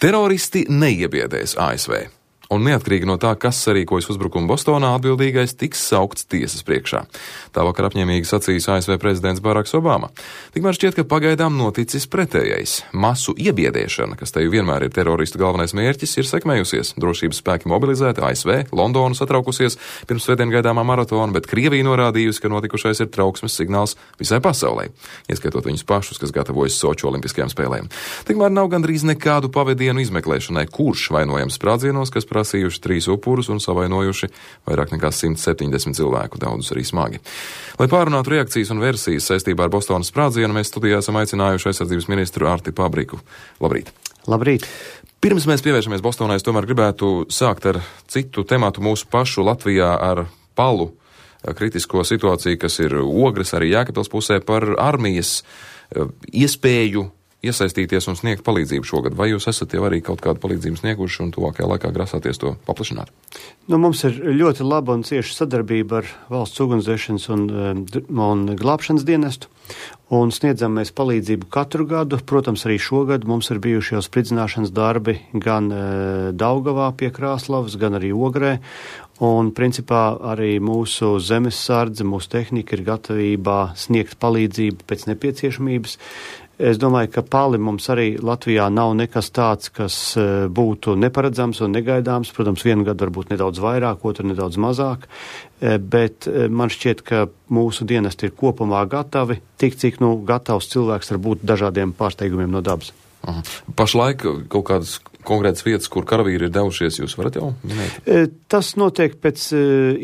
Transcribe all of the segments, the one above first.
Teroristi neiebiedēs ASV. Un neatkarīgi no tā, kas sarīkojas uzbrukumu Bostonā, atbildīgais tiks saukts tiesas priekšā. Tā vakar apņēmīgi sacījis ASV prezidents Baraks Obama. Tikmēr šķiet, ka pagaidām noticis pretējais. Masu iebiedēšana, kas te jau vienmēr ir teroristu galvenais mērķis, ir sekmējusies. Drošības spēki mobilizēti, ASV, Londonu satraukusies pirms svētdien gaidāmā maratona, bet Krievija norādījusi, ka notikušais ir trauksmes signāls visai pasaulē, ieskaitot viņus pašus, kas gatavojas Soču olimpiskajām spēlēm. Tikmēr nav gandrīz nekādu pavadienu izmeklēšanai, kurš vainojams sprādzienos, kas prasījuši 3 upurus un savainojuši vairāk nekā 170 cilvēku, daudzus arī smagi. Lai pārunātu reakcijas un versijas saistībā ar Bostonas sprādzienu, mēs studijā esam aicinājuši aizsardzības ministru Arti Pabriku. Labrīt! Labrīt! Pirms mēs pievēršamies Bostonai, es tomēr gribētu sākt ar citu tematu mūsu pašu Latvijā ar palu kritisko situāciju, kas ir Ogres arī Jēkabpils pusē par armijas iespēju iesaistīties un sniegt palīdzību šogad. Vai jūs esat jau arī kaut kādu palīdzību snieguši un tuvākajā laikā grasāties to paplašināt? Mums ir ļoti laba un cieša sadarbība ar valsts ugunsdzēšanas un glābšanas dienestu. Un sniedzam mēs palīdzību katru gadu. Protams, arī šogad mums ir bijuši jau spridzināšanas darbi gan Daugavā pie Krāslavas, gan arī Ogrē. Un principā arī mūsu zemessardze, mūsu tehnika ir gatavībā sniegt palīdzību pēc nepieciešamības. Es domāju, ka pali mums arī Latvijā nav nekas tāds, kas būtu neparedzams un negaidāms. Protams, vienu gadu varbūt nedaudz vairāk, otru nedaudz mazāk, bet man šķiet, ka mūsu dienesti ir kopumā gatavi, tik cik gatavs cilvēks var būt dažādiem pārsteigumiem no dabas. Aha. Pašlaik kaut kādas konkrētas vietas, kur karavīri ir devušies, jūs varat jau minēt? Tas notiek pēc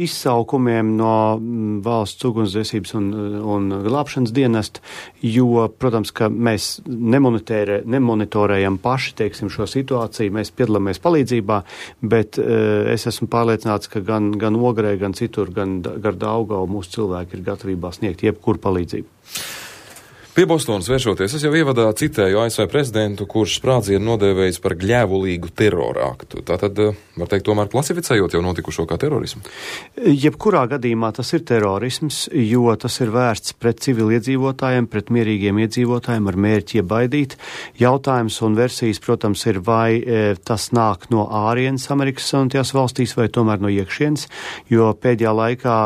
izsaukumiem no valsts ugunsdzēsības un glābšanas dienesta, jo, protams, ka mēs nemonitorējam paši, teiksim, šo situāciju, mēs piedalāmies palīdzībā, bet es esmu pārliecināts, ka gan Ogrē, gan citur, gan gar Daugavu mūsu cilvēki ir gatavībā sniegt jebkuru palīdzību. Pie Bostonas vēršoties, es jau ievadā citēju ASV prezidentu, kurš sprādzienu nodēvējis par gļēvulīgu terora aktu. Tātad, var teikt, tomēr klasificējot jau notikušo kā terorismu? Jebkurā gadījumā tas ir terorisms, jo tas ir vērsts pret civiliedzīvotājiem, pret mierīgiem iedzīvotājiem ar mērķi iebaidīt. Jautājums un versijas, protams, ir, vai tas nāk no ārienes Amerikas Savienotajās valstīs vai tomēr no iekšienes, jo pēdējā laikā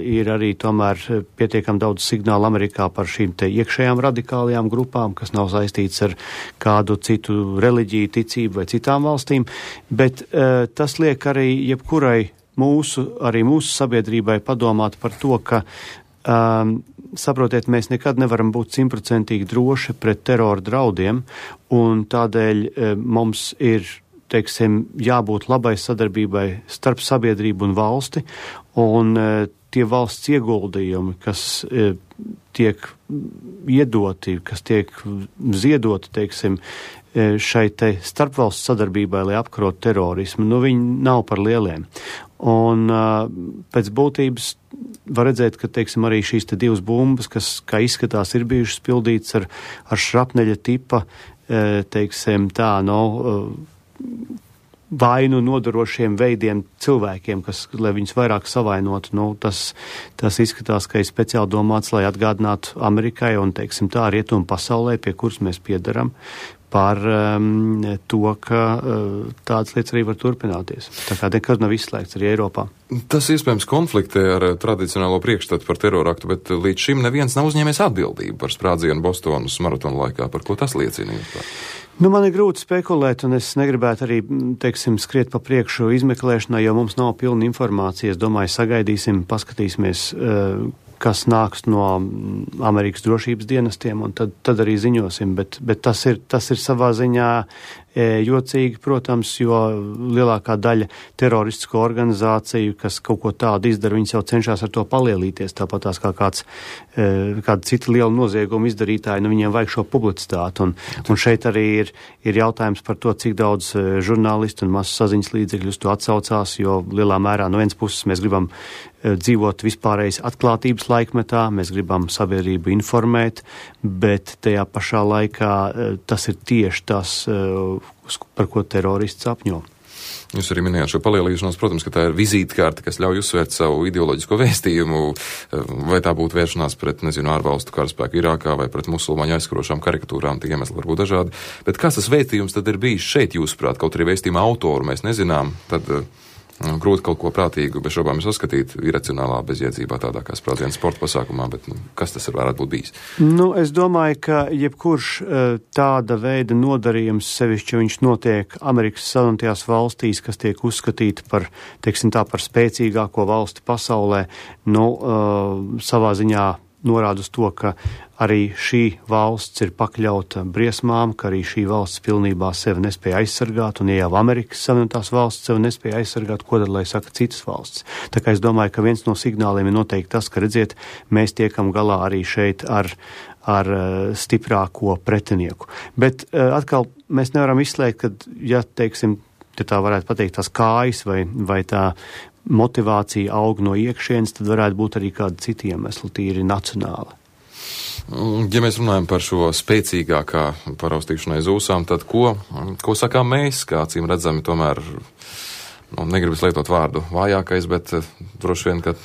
ir arī tomēr pietiekam daudz signālu Amerikā par šīm te iekšējām radikālajām grupām, kas nav saistīts ar kādu citu reliģiju, ticību vai citām valstīm, bet tas liek arī jebkurai mūsu sabiedrībai padomāt par to, ka, saprotiet, mēs nekad nevaram būt 100% droši pret terora draudiem, un tādēļ mums ir, teiksim, jābūt labai sadarbībai starp sabiedrību un valsti, un tie valsts ieguldījumi, kas tiek iedoti, kas tiek ziedoti, teiksim, šai te starpvalsts sadarbībai, lai apkarot terorismu, viņi nav par lieliem. Un pēc būtības var redzēt, ka, teiksim, arī šīs te 2 bumbas, kas, kā izskatās, ir bijušas pildītas ar šrapneļa tipa, teiksim, vainu nodarošiem veidiem cilvēkiem, lai viņus vairāk savainotu. Tas izskatās, ka ir speciāli domāts, lai atgādinātu Amerikai un, teiksim, tā rietumu pasaulē, pie kuras mēs piedaram, par to, ka tādas lietas arī var turpināties. Tā kā nekad nav izslēgts arī Eiropā. Tas iespējams konfliktē ar tradicionālo priekšstatu par teroraktu, bet līdz šim neviens nav uzņēmies atbildību par sprādzienu Bostonas maratona laikā. Par ko tas liecina? Man ir grūti spekulēt, un es negribētu arī, teiksim, skriet pa priekšu izmeklēšanai, jo mums nav pilna informācija. Es domāju, sagaidīsim, paskatīsimies, kas nāks no Amerikas drošības dienestiem, un tad arī ziņosim, bet tas ir savā ziņā jocīgi, protams, jo lielākā daļa teroristisko organizāciju, kas kaut ko tādu izdara, viņas jau cenšas ar to palielīties, tāpatās kā kāda cita liela nozieguma izdarītāja, viņiem vajag šo publicitāti, un šeit arī ir jautājums par to, cik daudz žurnālistu un masu saziņas līdzekļus to atsaucās, jo lielā mērā no vienas puses mēs gribam dzīvot vispārējais atklātības laikmetā, mēs gribam sabiedrību informēt, bet tajā pašā laikā tas ir tieši tas, par ko terorists apņo. Jūs arī minējāt šo palielīšanos, protams, ka tā ir vizītkarte, kas ļauj uzsvērt savu ideoloģisko vēstījumu, vai tā būtu vēršanās pret, ārvalstu karaspēku Irākā vai pret musulmaņu aizskarošām karikatūrām, tie iemesli var būt dažādi. Bet kāds tas vēstījums tad ir bijis šeit, jūsuprāt, kaut arī vēstījuma autoru mēs nezinām, tad grūti kaut ko prātīgu bez šobām saskatīt iracionālā bezjēdzībā tādā kā sprādziena sporta pasākumā, bet kas tas varētu būt bijis? Es domāju, ka jebkurš tāda veida nodarījums, sevišķi viņš notiek Amerikas Savienotajās valstīs, kas tiek uzskatīti par, par spēcīgāko valsti pasaulē, savā ziņā norāda uz to, ka arī šī valsts ir pakļauta briesmām, ka arī šī valsts pilnībā sevi nespēja aizsargāt, un ja jau Amerikas Savienotās valsts sevi nespēja aizsargāt, ko tad, lai saka citas valsts? Tā kā es domāju, ka viens no signāliem ir noteikti tas, ka, redziet, mēs tiekam galā arī šeit ar stiprāko pretinieku. Bet atkal mēs nevaram izslēgt, ka, ja tā varētu pateikt, tās kājas vai tā motivācija aug no iekšienes, tad varētu būt arī kādi citi iemesli, tīri nacionāli. Ja mēs runājam par šo spēcīgākā paraustīšanai zūsām, tad ko sakām mēs, kā acīm redzami tomēr, negribas lietot vārdu vājākais, bet droši vien, ka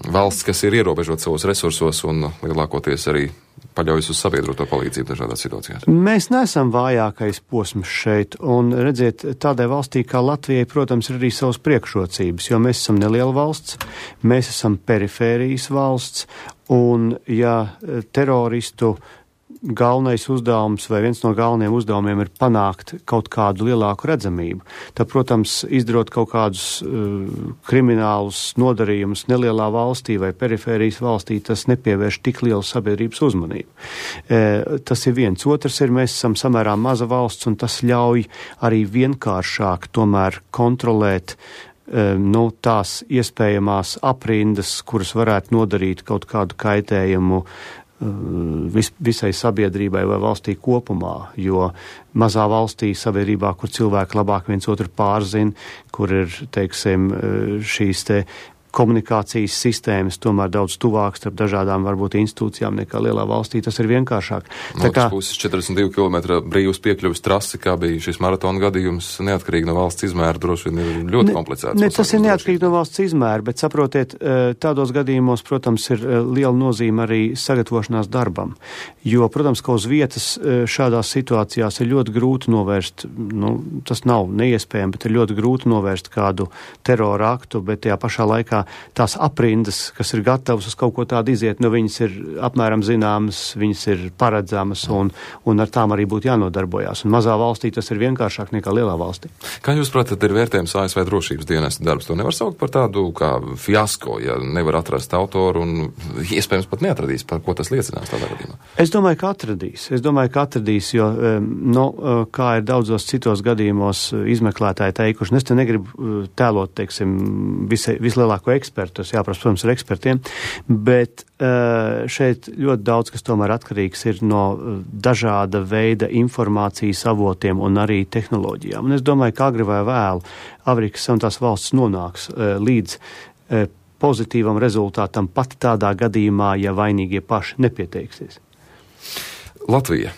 valsts, kas ir ierobežot savos resursos un lielākoties arī paļaujas uz sabiedroto palīdzību dažādās situācijās. Mēs neesam vājākais posms šeit, un redziet, tādai valstī kā Latvijai, protams, ir arī savas priekšrocības, jo mēs esam neliela valsts, mēs esam perifērijas valsts, un ja teroristu galvenais uzdevums vai viens no galvenajiem uzdevumiem ir panākt kaut kādu lielāku redzamību, tad, protams, izdarot kaut kādus kriminālus nodarījumus nelielā valstī vai perifērijas valstī, tas nepievērš tik lielu sabiedrības uzmanību. Tas ir viens. Otrs ir, mēs esam samērā maza valsts, un tas ļauj arī vienkāršāk tomēr kontrolēt tās iespējamās aprindas, kuras varētu nodarīt kaut kādu kaitējumu visai sabiedrībai vai valstī kopumā, jo mazā valstī sabiedrībā, kur cilvēki labāk viens otru pārzina, kur ir, šīs komunikācijas sistēmas tomēr daudz tuvāks starp dažādām varbūt institūcijām nekā lielā valstī, tas ir vienkāršāk. No otras puses 42 km brīvs piekļuvis trasi, kā bija šis maratona gadījums, neatkarīgi no valsts izmēra, droši vien ir ļoti komplicēts. Tas ir neatkarīgi no valsts izmēra, bet saprotiet, tādos gadījumos, protams, ir liela nozīme arī sagatavošanās darbam, jo, protams, ka uz vietas šādās situācijās ir ļoti grūti novērst, tas nav neiespējami, bet ir ļoti grūti novērst kādu terora aktu, bet tajā pašā laikā tās aprindas, kas ir gatavas uz kaut ko tādu iziet, viņas ir apmēram zināmas, viņas ir paredzamas, un ar tām arī būtu jānodarbojās. Un mazā valstī tas ir vienkāršāk nekā lielā valstī. Kā jūs pratat, ir vērtējums ASV drošības dienesta darbs? To nevar saukt par tādu kā fiasko, ja nevar atrast autoru un iespējams pat neatradīs, par ko tas liecinās tādā gadījumā? Es domāju, ka atradīs, jo, kā ir daudzos citos gadījumos izmeklētāji teikuši, es te negribu tēlot, vislielāko ekspertu, tas jāprasa, protams, ar ekspertiem, bet šeit ļoti daudz, kas tomēr atkarīgs ir no dažāda veida informācijas avotiem un arī tehnoloģijām. Un es domāju, ka agri vai vēlu Amerikas Savienotās valsts nonāks līdz pozitīvam rezultātam pat tādā gadījumā, ja vainīgie paši nepieteiksies. Latvija.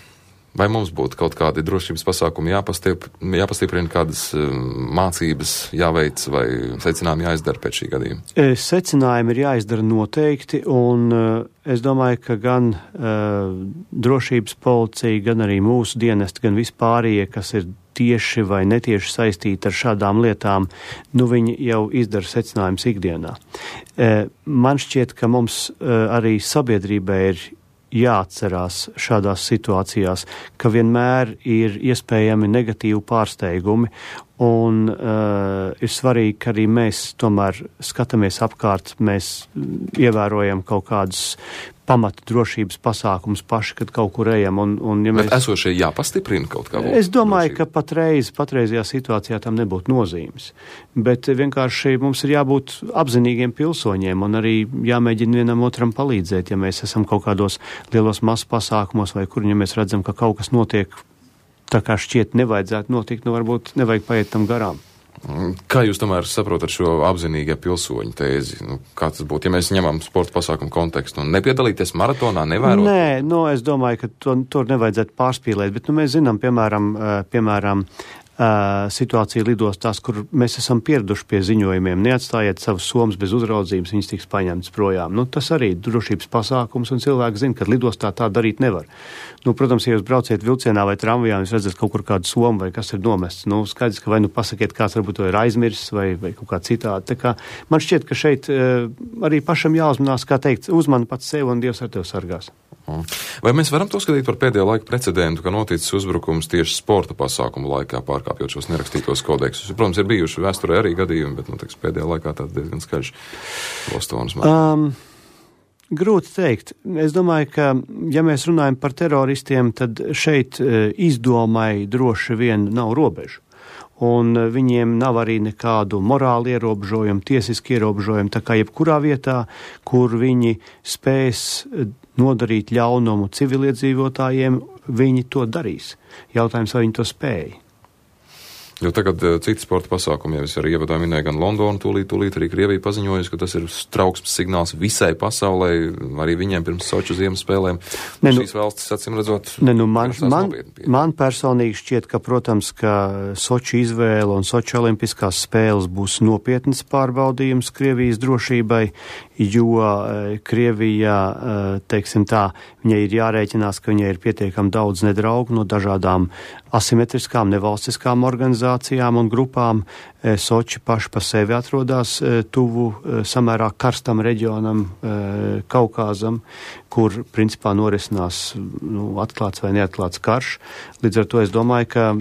Vai mums būtu kaut kādi drošības pasākumi jāpastiprina, kādas mācības jāveic vai secinājumi jāizdara pēc šī gadījuma? Secinājumi ir jāizdara noteikti, un es domāju, ka gan drošības policija, gan arī mūsu dienesti, gan vispārējie, kas ir tieši vai netieši saistīti ar šādām lietām, viņi jau izdara secinājumus ikdienā. Man šķiet, ka mums arī sabiedrībai ir jāatcerās šādās situācijās, ka vienmēr ir iespējami negatīvi pārsteigumi, un ir svarīgi, ka arī mēs tomēr skatāmies apkārt, mēs ievērojam kaut kādus pamata drošības pasākumus paši, kad kaut kur ejam. Bet esošie jāpastiprina kaut kā? Es domāju, ka patreizajā situācijā tam nebūtu nozīmes. Bet vienkārši mums ir jābūt apzinīgiem pilsoņiem un arī jāmēģina vienam otram palīdzēt, ja mēs esam kaut kādos lielos masu pasākumos vai kur, ja mēs redzam, ka kaut kas notiek tā kā šķiet nevajadzētu notikt, varbūt nevajag paiet tam garām. Kā jūs tomēr saprotat šo apzinīgie pilsoņu tēzi? Kā tas būtu, ja mēs ņemam sporta pasākumu kontekstu un nepiedalīties maratonā, nevērot? Nē, es domāju, ka tur nevajadzētu pārspīlēt, bet mēs zinām, piemēram, situācija lidostās, kur mēs esam pieraduši pie ziņojumiem. Neatstājiet savus somas bez uzraudzības, viņas tiks paņemtas projām. Nu, tas arī drošības pasākums, un cilvēki zina, ka lidostā tā darīt nevar. Nu, protams, ja jūs brauciet vilcienā vai tramvajā, jūs redzat kaut kur kādu somu vai kas ir nomests. Nu, skaidrs, ka vai nu pasakiet, kāds varbūt to ir aizmirsis vai kaut kā citādi. Tā kā man šķiet, ka šeit arī pašam jāuzmanās, kā teikt, uzmani pats sev un Dievs ar tevi sargās. Vai mēs varam to skatīt par pēdējo laiku precedentu, ka noticis uzbrukums tieši sporta pasākumu laikā, pārkāpjot šos nerakstītos kodeksus? Protams, ir bijuši vēsturē arī gadījumi, bet, nu, teiks, pēdējā laikā tāds diezgan skaļš Bostonas mākslinieks. Grūti teikt. Es domāju, ka, ja mēs runājam par teroristiem, tad šeit izdomai droši vien nav robežu. Un viņiem nav arī nekādu morālu ierobežojumu, tiesisku ierobežojumu, tā kā jebkurā vietā, kur viņi spēs nodarīt ļaunumu civiliedzīvotājiem, viņi to darīs. Jautājums, vai viņi to spēja. Jo tagad citi sporta pasākumi, ja es arī ievadā minēju, gan Londonu, tūlīt arī Krievija paziņojusi, ka tas ir trauksmes signāls visai pasaulē, arī viņiem pirms Soču ziemas spēlēm. Šīs valstis, acīm redzot, man personīgi šķiet, ka, protams, ka Soču izvēle un Soču olimpiskās spēles būs nopietnas pārbaudījums Krievijas drošībai, jo Krievijā, teiksim tā, viņai ir jārēķinās, ka viņai ir pietiekami daudz nedraugu no dažādām asimetriskām nevalstiskām organizācijām un grupām. Soči paši pa sevi atrodas tuvu samērā karstam reģionam, Kaukāzam, kur principā norisinās atklāts vai neatklāts karš. Līdz ar to es domāju, ka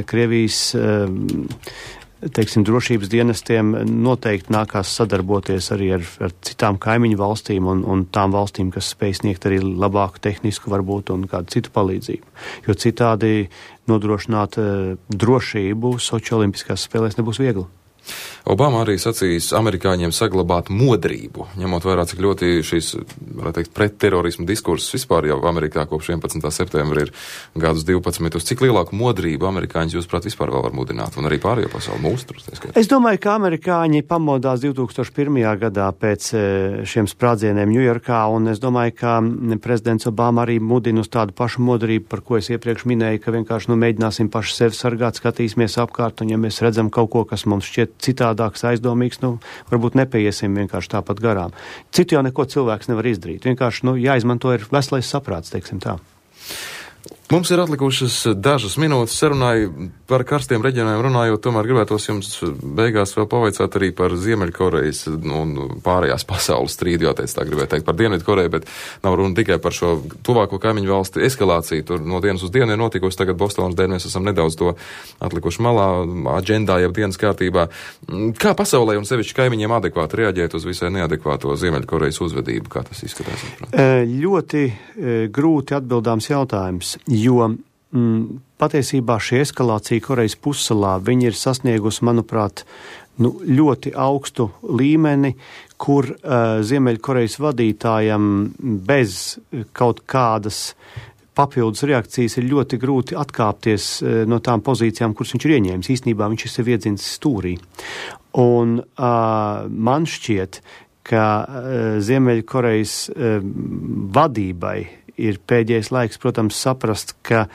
Krievijas teiksim, drošības dienestiem noteikti nākās sadarboties arī ar citām kaimiņu valstīm un tām valstīm, kas spēj sniegt arī labāku tehnisku varbūt un kādu citu palīdzību. Jo citādi nodrošināt drošību Soči olimpiskās spēlēs nebūs viegli. Obama arī sacījis amerikāņiem saglabāt modrību, ņemot vērā, cik ļoti šīs, varētu teikt, pretterorismu diskursus vispār jau Amerikā kopš 11. septembra ir gadus 12. Cik lielāku modrību amerikāņus, jūsuprāt, vispār vēl var mudināt, un arī pārējo pasauli mūsu? Es domāju, ka amerikāņi pamodās 2001. gadā pēc šiem sprādzieniem Ņujorkā, un es domāju, ka prezidents Obama arī mudina uz tādu pašu modrību, par ko es iepriekš minēju, ka vienkārši mēģināsim paši sevi sargāt, skatīsimies apkārt, un ja mēs redzam kaut ko, kas mums šķiet citādāks, aizdomīgs, varbūt nepaiesim vienkārši tāpat garām. Citu jau neko cilvēks nevar izdarīt. Vienkārši, jāizmanto ir veselais saprāts, teiksim tā. Mums ir atlikušas dažas minūtes sarunai par karstiem reģioniem runājot, tomēr gribētos jums beigās vēl pavaicāt arī par Ziemeļkorejas un pārējās pasaules strīdu, jāteic tā gribētu teikt par Dienvidkoreju, bet nav runa tikai par šo tuvāko kaimiņu valsti eskalāciju. Tur no dienas uz dienu ir notikusi, tagad Bostonas dēļ mēs esam nedaudz to atlikuši malā, aģendā, jau dienas kārtībā. Kā pasaulē un sevišķi kaimiņiem adekvāti reaģēt uz visai neadekvāto Ziemeļkorejas uzvedību? Kā tas izskatās? Ļoti grūti atbildāms jautājums. Jo patiesībā šī eskalācija Korejas pussalā, viņi ir sasniegusi, manuprāt, ļoti augstu līmeni, kur Ziemeļkorejas vadītājam bez kaut kādas papildus reakcijas ir ļoti grūti atkāpties no tām pozīcijām, kuras viņš ir ieņēmis. Īstenībā viņš ir sev iedzins stūrī. Un man šķiet, ka Ziemeļkorejas vadībai ir pēdējais laiks, protams, saprast, ka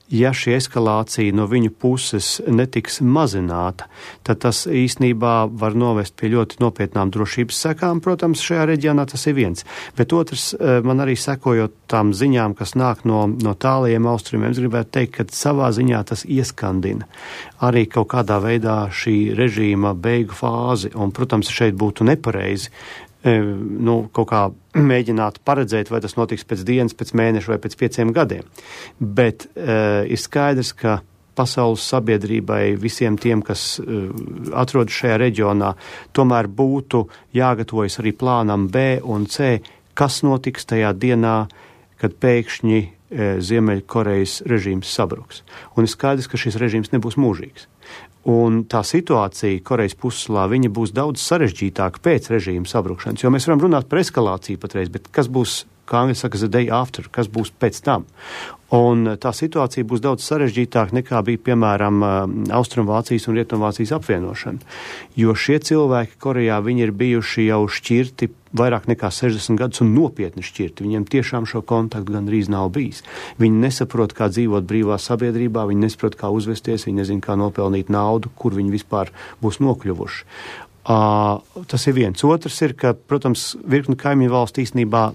ja šī eskalācija no viņu puses netiks mazināta, tad tas īstenībā var novest pie ļoti nopietnām drošības sekām. Protams, šajā reģionā tas ir viens. Bet otrs, man arī sekojot tām ziņām, kas nāk no tālajiem austrumiem, es gribētu teikt, ka savā ziņā tas ieskandina arī kaut kādā veidā šī režīma beigu fāzi. Un, protams, šeit būtu nepareizi kaut kā mēģināt paredzēt, vai tas notiks pēc dienas, pēc mēneša vai pēc 5 gadiem. Bet ir skaidrs, ka pasaules sabiedrībai, visiem tiem, kas atrodas šajā reģionā, tomēr būtu jāgatavojas arī plānam B un C, kas notiks tajā dienā, kad pēkšņi Ziemeļkorejas režīms sabruks. Un ir skaidrs, ka šis režīms nebūs mūžīgs. Un tā situācija Korejas pussalā, viņa būs daudz sarežģītāka pēc režīma sabrukšanas, jo mēs varam runāt par eskalāciju patreiz, bet kas būs kā angļu saka, the day after, kas būs pēc tam. Un tā situācija būs daudz sarežģītāka nekā bija, piemēram, Austrumvācijas un Rietumvācijas apvienošana. Jo šie cilvēki Korejā, viņi ir bijuši jau šķirti vairāk nekā 60 gadus un nopietni šķirti. Viņiem tiešām šo kontaktu gandrīz nav bijis. Viņi nesaprot, kā dzīvot brīvā sabiedrībā, viņi nesaprot, kā uzvesties, viņi nezin, kā nopelnīt naudu, kur viņi vispār būs nokļuvuši. Tas ir viens. Otrs ir, ka, protams, virkni kaimiņu valsts īstenībā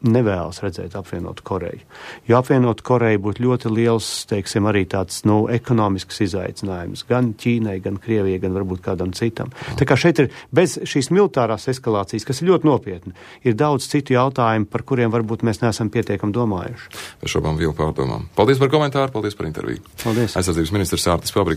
nevēlas redzēt apvienotu Koreju. Jo apvienotu Koreju būtu ļoti liels, teiksim, arī tāds, ekonomisks izaicinājums. Gan Ķīnai, gan Krievijai, gan varbūt kādam citam. Tā kā šeit ir, bez šīs militārās eskalācijas, kas ir ļoti nopietni, ir daudz citu jautājumu, par kuriem varbūt mēs neesam pietiekami domājuši. Bez šobām vielu pārdomām. Paldies par komentāru, paldies par interviju. Paldies. Aizsardzības ministrs Ārtis Pabriks.